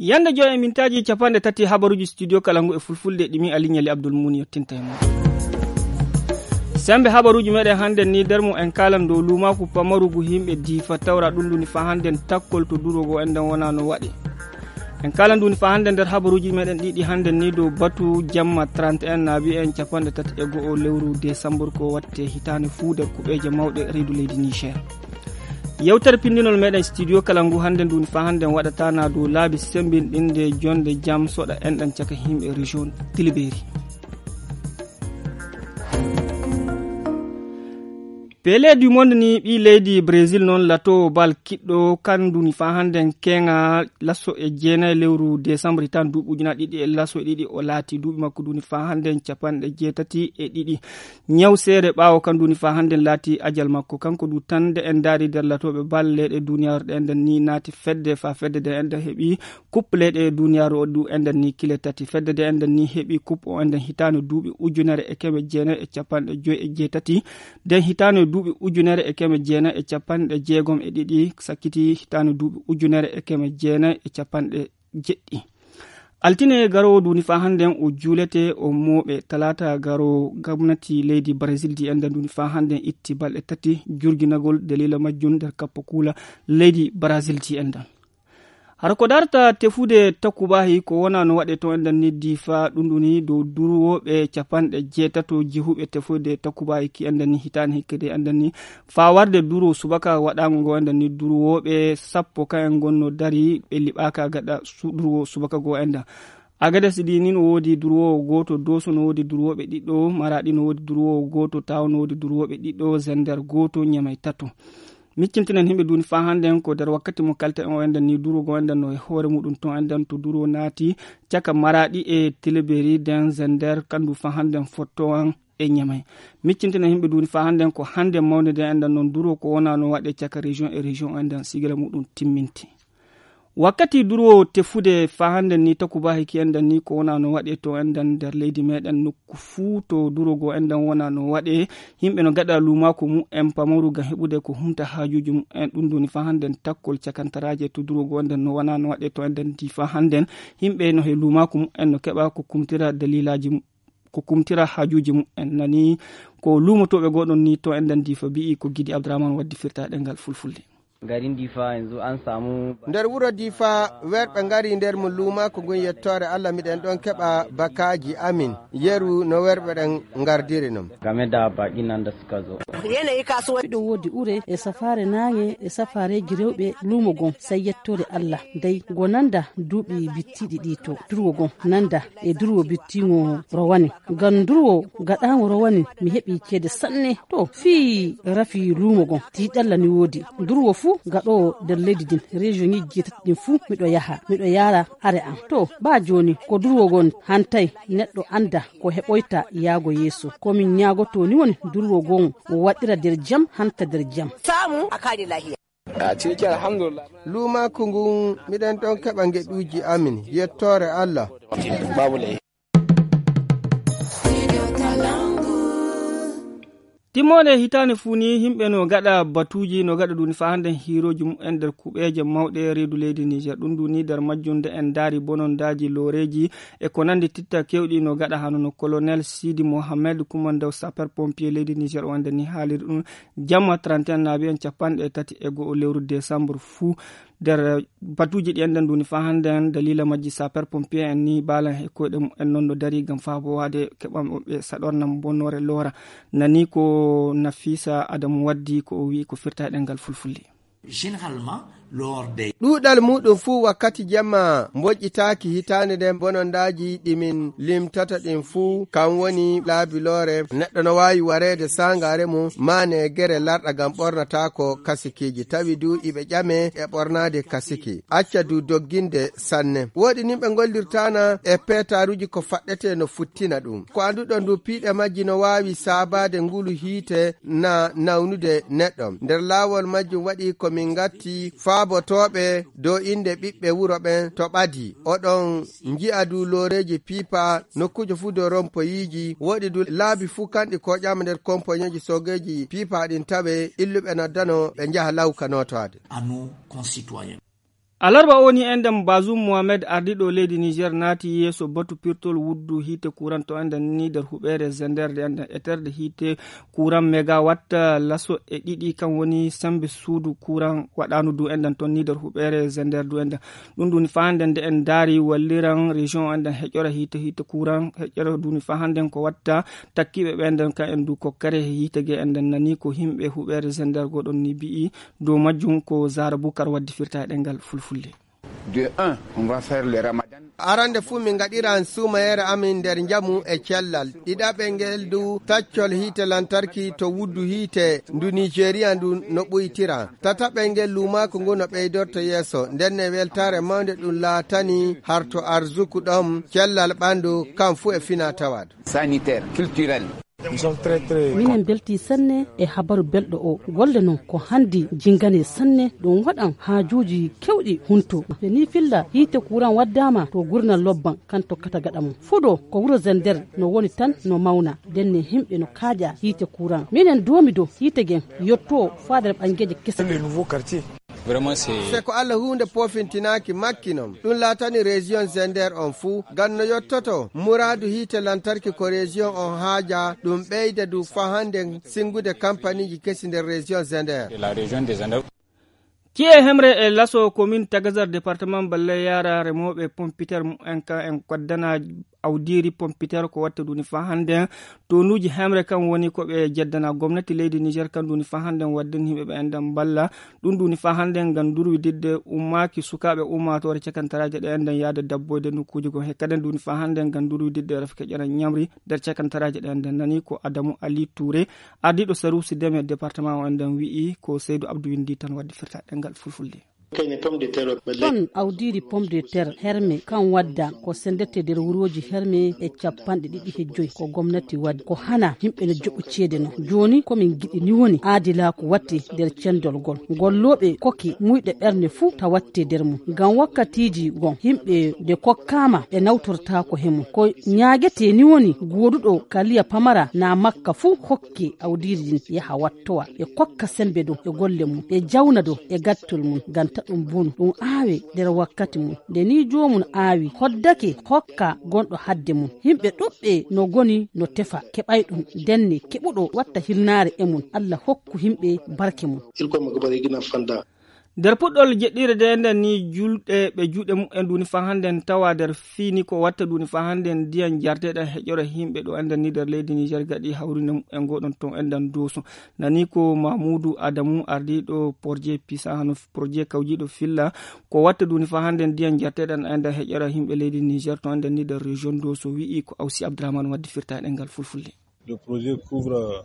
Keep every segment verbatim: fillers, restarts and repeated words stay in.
Yande joy e mintaaji capanɗe tati habaruuji studio kala ngu e fulfulde ɗimi Aliñali Abdul Muun yettinta e mon. Sembe habaruuji meɗen hannde ni nder mo en kaalan dow luumaaku pamarugu yimɓe diifa tawra ɗum nduni fa hannde takkol to durogo enɗen wona no waɗe. En kaalan nduni fa hannde nder habaruuji meɗen ɗiɗi hannde ni dow batu jamma trente et un naabi en capanɗe tati e go'o lewru desambur ko watte hitaande fuu nder kuɓeeje mawɗe reedu leydi Niger. Yewtere pinndinol meɗen studio kala ngu hannde nduni fa hannde waɗatana dow laabi sembinɗinde jonde jam soɗa enɗan caka yimɓe région Tiliberi. Pele du monde ni ɓi leydi Brésil noon lato bal kiɗɗo kan nduni fa hannde keŋa laso e jeenayi lewru décembre tan duuɓi ujuna ɗiɗi e laso e ɗiɗi o laati duuɓi makko nduni fa hannde capanɗe jeetati e ɗiɗi. Ñaw seere ɓaawo kan nduni fa hannde laati ajal makko kanko du tan nde en daari nder latooɓe bal leyɗe duniyaaru ɗe enɗan ni naati fedde fa fedde nde enɗan heɓi kup leyɗe duniyaaru o du enɗan ni kile tati fedde nde enɗan ni heɓi kup o enɗan hitaande duuɓi ujunere e keme jeenayi e capanɗe joyi e jeetati. Nden hitaande duuɓi ujunere e keme jeenayi e capanɗe jeegom e ɗiɗi sakkiti hitaande duuɓi ujunere e keme jeenayi e capanɗe jeɗɗi. Altine garoowo nduni fa hannden o juulete o mooɓe talaata garoowo gomnati leydi Brazil di enɗan nduni fa hannden itti balɗe tati jurginagol dalila majjum nder kappa kuula leydi Brazil di enɗan. Hara ko darta tefude takubahi ko wona no waɗe to enɗan ni difa ɗum ɗuni dow durwooɓe capanɗe jeetato jehuɓe tefude takubahi ki enɗan ni hitaani hikkede enɗan ni faa warde durwo subaka waɗaango ngo enɗan ni durwooɓe sappo ka en ngonno dari ɓe liɓaaka gaɗa durwo subaka goo enɗan. Agades ɗi ni no woodi durwoowo gooto dooso no woodi durwooɓe ɗiɗo maraɗi no woodi durwoowo gooto tawo no woodi durwooɓe ɗiɗo zender gooto ñamay tato. Miccintinen himɓe duni fa hannden ko nder wakkati mo kalten o enɗan ni durwoogo enɗan no e hoore muɗum to enɗan to durwo naati caka maraɗi e tiliberi den zender kandu fa hannden fottowan e ñamay. Miccintinen himɓe duni fa hannden ko hannden mawnde nde enɗan noon durwo ko wona no waɗe caka région e région enɗan sigila muɗum timminti. Wakkati durwo tefude fa hannden ni takubahi ki enɗan ni ko wona no waɗe to enɗan nder leydi meɗen nokku fuu to durwogo enɗan wona no waɗe. Yimɓe no gaɗa luumaaku mu'en pamaru ngam heɓude ko humta haajuuji mu'en ɗum ndoni fa hannden takkol cakantaraaje to durwogo enɗan no wona no waɗe to enɗan di fa hannden. Yimɓe no he luumaaku mu'en no keɓa ko kumtira dalilaaji mu- ko kumtira haajuuji mu'en nani ko luumotooɓe goɗon ni to enɗan di fa bi'i ko gidi abdourahmane waddi firta ɗengal fulfulde. Garin difa yanzu an samu nder wuro difa werɓe ngari nder mo luumaaku ngun yettoore allah miɗen ɗon keɓa bakaaji amin yeru no werɓe ɗen ngardiri non. Game da baƙin nan da suka zo. Yanayi kasuwa miɗo woodi ure e safaare naange e safaareeji rewɓe luumo gon sey yettoore allah dey go nanda duuɓi bittiiɗi ɗi to durwo gon nanda e durwo bittiiŋo rowani ngam durwo gaɗaaŋo rowani mi heɓi ceede sanne to fii rafi luumo gon tiiɗalla ni woodi durwo fuu gaɗoowo nder leydi ndin region ŋiji jeetati ɗin fuu miɗo yaha miɗo yaara are am to baa jooni ko durwo gon hantay neɗɗo annda ko heɓoyta yaago yeeso ko min ñaagotoo ni woni durwo gon o waɗira nder jam hanta nder jam. Saamu a kaali lahiya. A ciki alhamdulillah. Luumaaku ngun miɗen ɗon keɓa ngeɗuuji amin yettoore allah. Babu laifi. Timmoode hitaande fuu ni yimɓe no gaɗa batuuji no gaɗa ɗum fa hannde hiirooji mumen nder kuɓeeje mawɗe reedu leydi niger ɗum ɗum ni nder majjum nde en ndaari bonondaaji looreeji e ko nanndi titta keewɗi no gaɗa hano no colonel sidi mohammed kumandaw sapeur pompier leydi niger o wonde ni haaliri ɗum jamma trente et un naabi en capanɗe tati e go'o lewru décembre fuu nder batuuji ɗi enɗen nduni fa hannden dalila majji sapeur pompier en ni baalan e koyɗe mumen non no dari ngam faabowaade keɓan ɓe saɗornam bonnoore loora nani ko nafisa adamu waddi ko o wi'i ko firta e ɗengal fulfulde. Généralement lors des ɗuuɗal muɗum fuu wakkati jamma mboƴƴitaaki hitaande nden bonondaaji ɗi min limtata ɗin fuu kam woni laabiloore neɗɗo no waawi wareede saangaare mum maa negere larɗa ngam ɓornataako kasikiiji tawi du iɓe ƴame e ɓornaade kasiki acca du dogginde sanne woɗi nin ɓe ngollirtaana e peetaaruuji ko faɗɗetee no futtina ɗum ko annduɗon du piiɗe majji no waawi saabaade ngulu hiite na nawnude neɗɗo nder laawol majjum waɗi ko min ngatti faabotooɓe dow innde ɓiɓɓe wuro ɓen to ɓadi oɗon nji'a du looreeji piipa nokkuuje fuu dow rompoyiiji woɗi du laabi fuu kanɗi koƴaama nder kompoñeeji soogeeji piipa ɗin tawe illuɓe noddano ɓe njaha law ka nootaade. À nos concitoyens. Alarba o ni enɗen, Bazum Mohamed, ardiiɗo leydi Niger, naati yeeso batu pirtol wuddu hiite kuran to enɗen ni nder huɓeere Zender nde enɗen eterde hiite kuran megawatt laso e ɗiɗi, kan woni sembe suudu kuran waɗaanu du enɗen ton ni nder huɓeere Zender du enɗen. Ɗum ɗum ni faa hannde nde en ndaari walliran région enɗen heƴora hiite, hiite kuran heƴora du ni faa hannde ko watta takkiiɓe ɓe enɗen ka en du ko kare hiite ge enɗen nani ko himɓe huɓeere Zender goɗon ni bi'i dow majjum ko Zara Bukar waddi firta e ɗemngal fulfulde. De un, on va faire le ramadan. Arande fuu min ngaɗiran suumayeere amin nder njamu e cellal. Ɗiɗaɓe ngel du taccol hiite lantarki to wuddu hiite ndu Nigeria ndu no ɓuytira. Tataɓe ngel luumaaku ngu no ɓeydorto yeeso. Nden ne weltaare mawnde ɗum laatani harto arzuku ɗon cellal ɓandu kam fuu e fina tawaadu. Sanitaire, culturel. Minen mbeltii sanne e habaru belɗo o. Golle non ko hanndi jinngane sanne, ɗum waɗan haajuuji keewɗi hunto. Ɓe nii filla hiite kuran waddaama to gurnal lobban kan tokkata gaɗa mum. Fuɗo ko wuro Zender no woni tan no mawna, ndenne himɓe no kaaƴa hiite kuran. Minen doomi do hiite gen yotto faadere ɓanngeeje kese. Se ko Allah huunde poofintinaaki makki non. Ɗum laatani région Zender on fuu. Ngam no yottoto, muraadu hiite lantarki ko région on haaja, ɗum ɓeyda du faa hannde sinngude kampaniiji kesi nder région Zender. Ci'e hemre e laso commune Tagazar département Balle Yara remooɓe pompiter mumen ka en koddana awdiiri pompiter ko watta duni faa hannde. Tonuuji hemre kan woni ko ɓe jeddana gomnati leydi Niger kan duni faa hannde wadden himɓe ɓe enɗen mballa. Ɗum duni faa hannde ngam durwididde ummaaki sukaaɓe ummaatoore cakantaraaje ɗe enɗen yaade dabboyde nokkuuji goo. He kaden duni faa hannde ngam durwididde rafike ƴana ñamri nder cakantaraaje ɗe enɗen nani ko Adamu Ali Touré, ardiiɗo saruusi deme département o enɗen wi'i ko Seydou Abdou Windi tan waddi firta ɗemngal fulfulde. Ton awdiiri pomme de terre herme kan wadda ko sendete nder wurooji herme e capanɗe ɗiɗi he joy ko gomnati waddi. Ko hana yimɓe no joɓo ceede no. Jooni ko min giɗi ni woni aadilaaku watte nder cendol gol. Gollooɓe kokke muyɗe ɓernde fuu ta watte nder mum. Ngam wakkatiiji gon yimɓe nde kokkaama ɓe nawtortaako he mum. Ko ñaagetee ni woni gooduɗo kaliya pamara na makka fuu hokke awdiiri ndin yaha wattowa. Ɓe kokka sembe dow e golle mum. Ɓe jawna dow e gattol mum ngam ta ɗum bonu. Ɗum aawe nder wakkati mum. Nde ni joomum aawi hoddake hokka gonɗo hadde mum. Yimɓe ɗuɓɓe no goni no tefa keɓay ɗum. Ndenne keɓuɗo watta hirnaare e mum. Allah hokku yimɓe barke mum. Nder puɗɗol jeɗɗire de nden ni julɗe ɓe juuɗe mumen duni faa hannde en tawa nder fini ko watta duni faa hannde en ndiyan jarteɗan heƴora yimɓe ɗo enden ni nder leydi Niger gaɗi hawrinde mumen goɗon ton enden doso. Nani ko Mamoudou Adamou ardiɗo projet pisa hano projet kawjiɗo filla ko watta duni faa hannde en ndiyan jarteɗan enden heƴora yimɓe leydi Niger ton enden ni nder région doso wi'i ko Awsi Abdourahmane waddi firta e ɗemngal fulfulde. Le projet couvre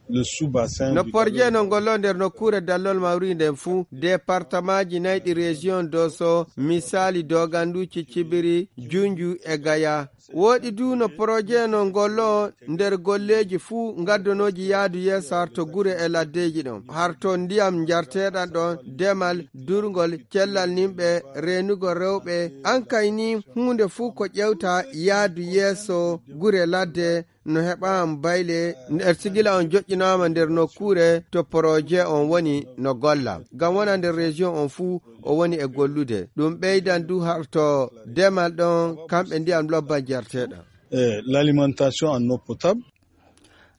le sous-bassin. No du projet no ngollo nder nokkuure dallol mawri nden fuu départemaaji nayɗi région doso, misaali Dogandu, Cicibiri, Junju e Gaya. Woɗi du no projet no ngollo nder golleeji fuu ngaddonooji yaadu yeeso harto gure e laddeeji ɗon harto ndiyam njarteeɗan ɗon, demal, durngol, cellal nimɓe, reenugol rewɓe. An kay ni huunde fuu ko ƴewta yaadu yeeso gure ladde no heɓaama bayle. Nder sigila on joƴƴinaama nder nokkuure to poroje on woni no golla ngam wona nder région on fuu o woni e gollude. Ɗum ɓeydan du harto demal ɗon kamɓe ndiyam lobban jarteɗam. Eh, l'alimentation en eau potable.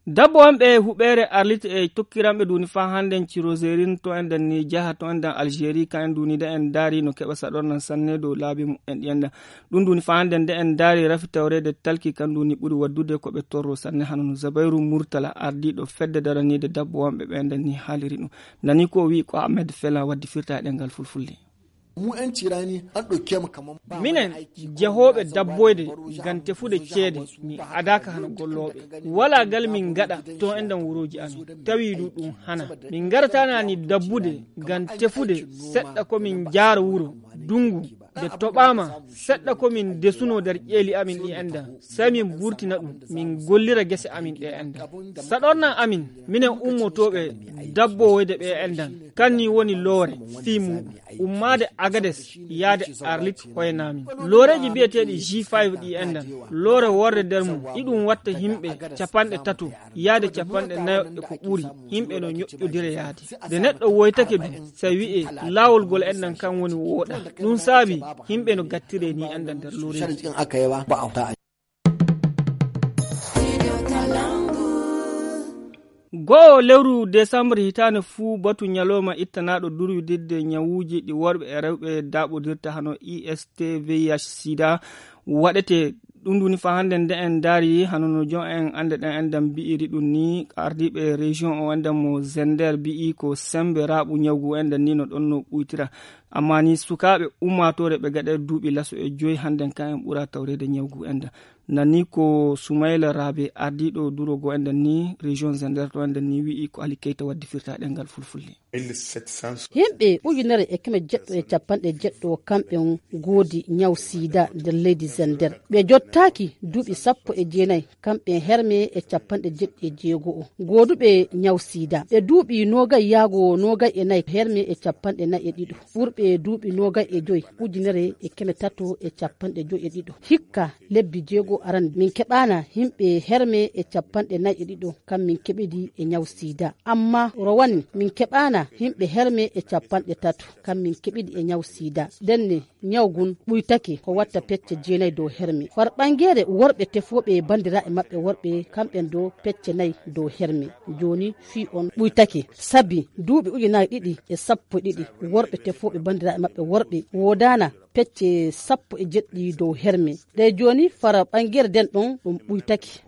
Dabbo on ɓe huɓeere arlit e tokkiranɓe duni faa hannden ciroserin to enɗen ni jaha to enɗen Algérie ka en duni de en daari no keɓa saɗornan sanne dow laabi mumen ɗi enɗen. Ɗum duni faa hannden de en daari rafi tawreede talki kan duni ɓuri waddude ko ɓe torro sanne hano no Zabayru Murtala ardiiɗo fedde daraniide dabbo on ɓe ɓe enɗen ni haaliri ɗum. Nani ko o wi'i ko Ahmed Fela waddi firta e ɗemngal fulfulde. Mu 'yan cirani an ɗauke mu kaman ba wani minen aiki ko jahooɓe mun na son dabboyde bayan gam tefude ceede min adaaka hano gollooɓe walaa gal min ngaɗa to enɗen wurooji amin tawi du ɗum hana min ngarataana ni dabbude gam tefude seɗɗa ko min jaara wuro dungu Nde toɓaama, seɗɗa ko min ndesunoo nder ƴeeli amin ɗi enɗan, sey min mburtina ɗum, min ngollira gese amin ɗe enɗan. Saɗornan amin, minen ummotooɓe dabboowoyde ɓe enɗan, kan ni woni loore fii muuɗum. Ummaade Agades yaade Arlit hoyna min. Looreeji biyeteeɗi G five ɗi enɗan, loore worre nder mum, iɗum watta yimɓe capanɗe tato yaade capanɗe nayo e ko ɓuri, yimɓe no ñoƴƴodira yaade. Nde neɗɗo woytake du, sey wi'ee laawol ngol enɗan kan woni wooɗa. Ɗum saabi, yimɓe no gattiree ni enɗan nder looreeji. Go'o lewru desambre hitaande fuu, batu ñalooma ittanaaɗo durwididde ñawuuji ɗi worɓe e rewɓe daaɓodirta hano I S T V I H sida waɗete. Ɗum woni faa hannde nde en ndaari, hano no jon en annde ɗen enɗan mbi'iri ɗum ni, ardiiɓe région o enɗan mo Zender mbi'i ko sembe raaɓu ñawgu enɗan ni no ɗon no ɓuytira. Amma ni sukaaɓe ummaatoore ɓe gaɗa duuɓi laso e joyi hannden kan en ɓura tawreede ñawgu enɗan. Nani ko Soumaïla Rabe, ardiiɗo duro go enɗan ni, région Zender to enɗan ni, wi'i ko Ali Keita waddi firta ɗemngal fulfulde. Yimɓe ujunere e keme jeɗɗo e capanɗe jeɗɗo kamɓe on goodi ñaw sida nder leydi Zender. Ɓe jottaaki duuɓi sappo e jeenayi, kamɓe herme e capanɗe jeɗɗi e jeego o. Gooduɓe ñaw sida, ɓe duuɓi noogay yaago noogay e nayi, herme e capanɗe nayi e ɗiɗo. Ɓurɓe duuɓi noogay e joyi, ujunere e keme tato e capanɗe joyi e ɗiɗo. Hikka lebbi jeego aran, min keɓaana yimɓe herme e capanɗe nayi e ɗiɗo, kam min keɓidi e ñaw sida. Amma rowani, min keɓaana yimɓe herme e capanɗe tato, kam min keɓidi e ñaw sida. Ndenne, ñaw gun ɓuytake ko watta pecce jeenayi dow herme. Far ɓangeere worɓe tefooɓe bandiraaɓe maɓɓe worɓe, kamɓen dow pecce nayi dow herme. Jooni fii on ɓuytake. Sabi duuɓi ujunaaji ɗiɗi e sappo e ɗiɗi, worɓe tefooɓe bandiraaɓe maɓɓe worɓe woodaana pecce sappo e jeɗɗi dow herme. Ɗe jooni fara ɓangeere den ɗon ɗum ɓuytake.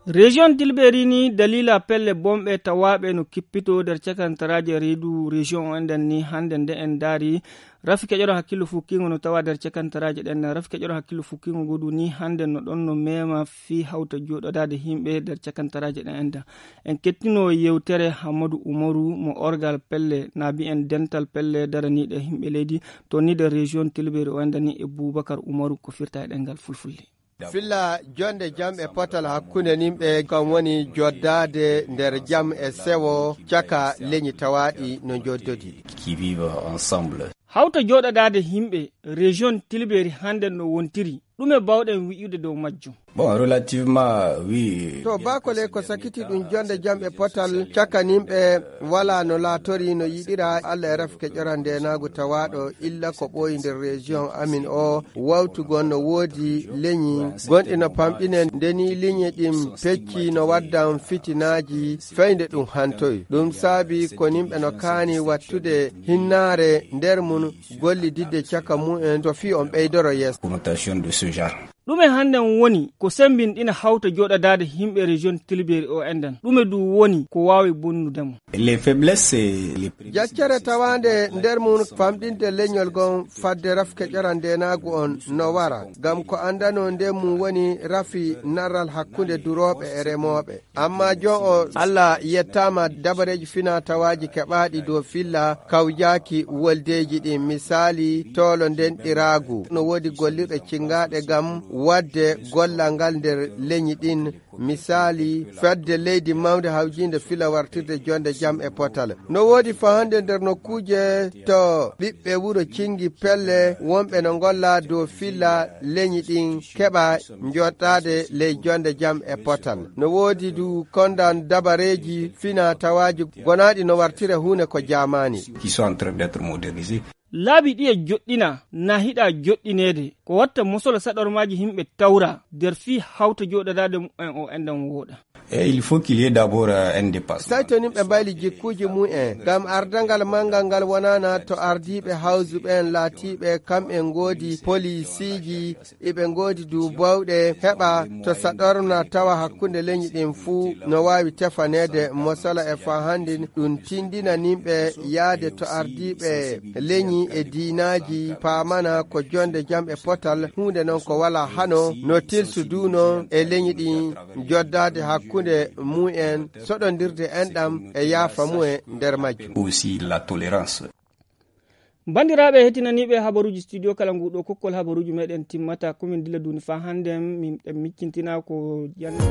Région Tilberi ni, dalila pelle bonɓe tawaaɓe no kippito nder cakantaraaje reedu région o enɗan ni, hannde nde en ndaari, rafi keƴoro hakkillo fukkingo no tawa nder cakantaraaje ɗen. Rafi keƴoro hakkillo fukkingo ngu du ni, hannde no ɗon no mema fii hawta jooɗodaade yimɓe nder cakantaraaje ɗen enɗan. En kettino yewtere Hammadu Umaru mo orgal pelle, na mbi'en dental pelle daraniiɗe yimɓe leydi, to ni nder région Tilberi o enɗan ni e Bubakar Umaru ko firta e ɗemngal fulfulde. Filla jonde jam e potal hakkunde nimɓe, kam woni joddaade nder jam e sewo caka leñi tawaaɗi no njoddodi. Qui vivent ensemble. Hawta jooɗodaade yimɓe région Tilberi hannde no wontiri, ɗume bawɗen wi'ude dow majjum? Bon, relativement, oui. To bakole ko sakiti ɗum jonde jam e potal caka nimɓe wala no laatori no yiɗira. Allah e rafi keƴora ndenaagu tawaaɗo illa ko ɓooyi nder région amin o. Wawtugol no woodi leñi gonɗi no pamɗine, ndeni leñi ɗin pecci no waddan fitinaaji fey nde ɗum hantoy. Ɗum saabi ko nimɓe no kaani wattude hinnaare nder mun, gollididde caka mumen to fii on ɓeydoro yeeso. Connotation de ce genre. Ɗume hannden woni ko sembinɗina hawta jooɗodaade yimɓe région Tilberi o enɗan? Ɗume du woni ko waawi bonnude mo? Les faiblesses, c'est les prévisions. Jaccere tawaande nder mum famɗinde leñol ngon fadde rafke ƴoran ndeenaagu on no wara, ngam ko anndanoo nden mum woni rafi narral hakkunde durooɓe e remooɓe. Amma jon o, Allah yettaama, dabareeji finaa-tawaaji keɓaaɗi dow filla kawjaaki woldeeji ɗin, misaali, toolo ndenɗiraagu. No woodi gollirɗe cingaaɗe ngam waɗde gollal ngal nder leñi ɗin, misaali, fedde leydi mawnde hawjiinde fila wartirde jonde jam e potal. No woodi fahande nder nokkuuje to ɓiɓɓe wuro cingi pelle wonɓe no ngolla dow filla leñi ɗin keɓa njottaade ley jonde jam e potal. No woodi du kondan dabareeji finaa-tawaaji gonaaɗi no wartira huune ko jaamaani. Qui sont en train d'être modernisés. Laabi ɗiya joɗɗina, na hiɗa joɗɗineede, ko watta mosolo saɗormaaji himɓe tawra nder fii hawta jooɗodaade mumen o enɗan wooɗa. Et il faut qu'il y ait d'abord, euh, un dépassement. Saito nin ɓe mbayli jikkuuji mum en, ngam ardangal manngal ngal wonaana to ardiiɓe hawsu ɓeen laatiiɓe kam en ngoodi polisiiji, iɓe ngoodi du bawɗe heɓa to saɗorna tawa hakkunde leñi ɗin fuu no waawi tefaneede mosala e faa hannden ɗum tindina nimɓe yaade to ardiiɓe leñi e diinaaji paamana ko jonde jam e potal, huunde non ko walaa hano no tilsu du non e leñi ɗin joddaade hakkunde mum en, soɗondirde enɗam e yaafa mum en nder majjum. Aussi la tolérance. Banndiraaɓe heɗtinaniiɓe habaruuji studio kala ngu ɗo kokkol habaruuji meɗen timmata komin dilla duuni faa hannden min ɗen miccintina ko jannde.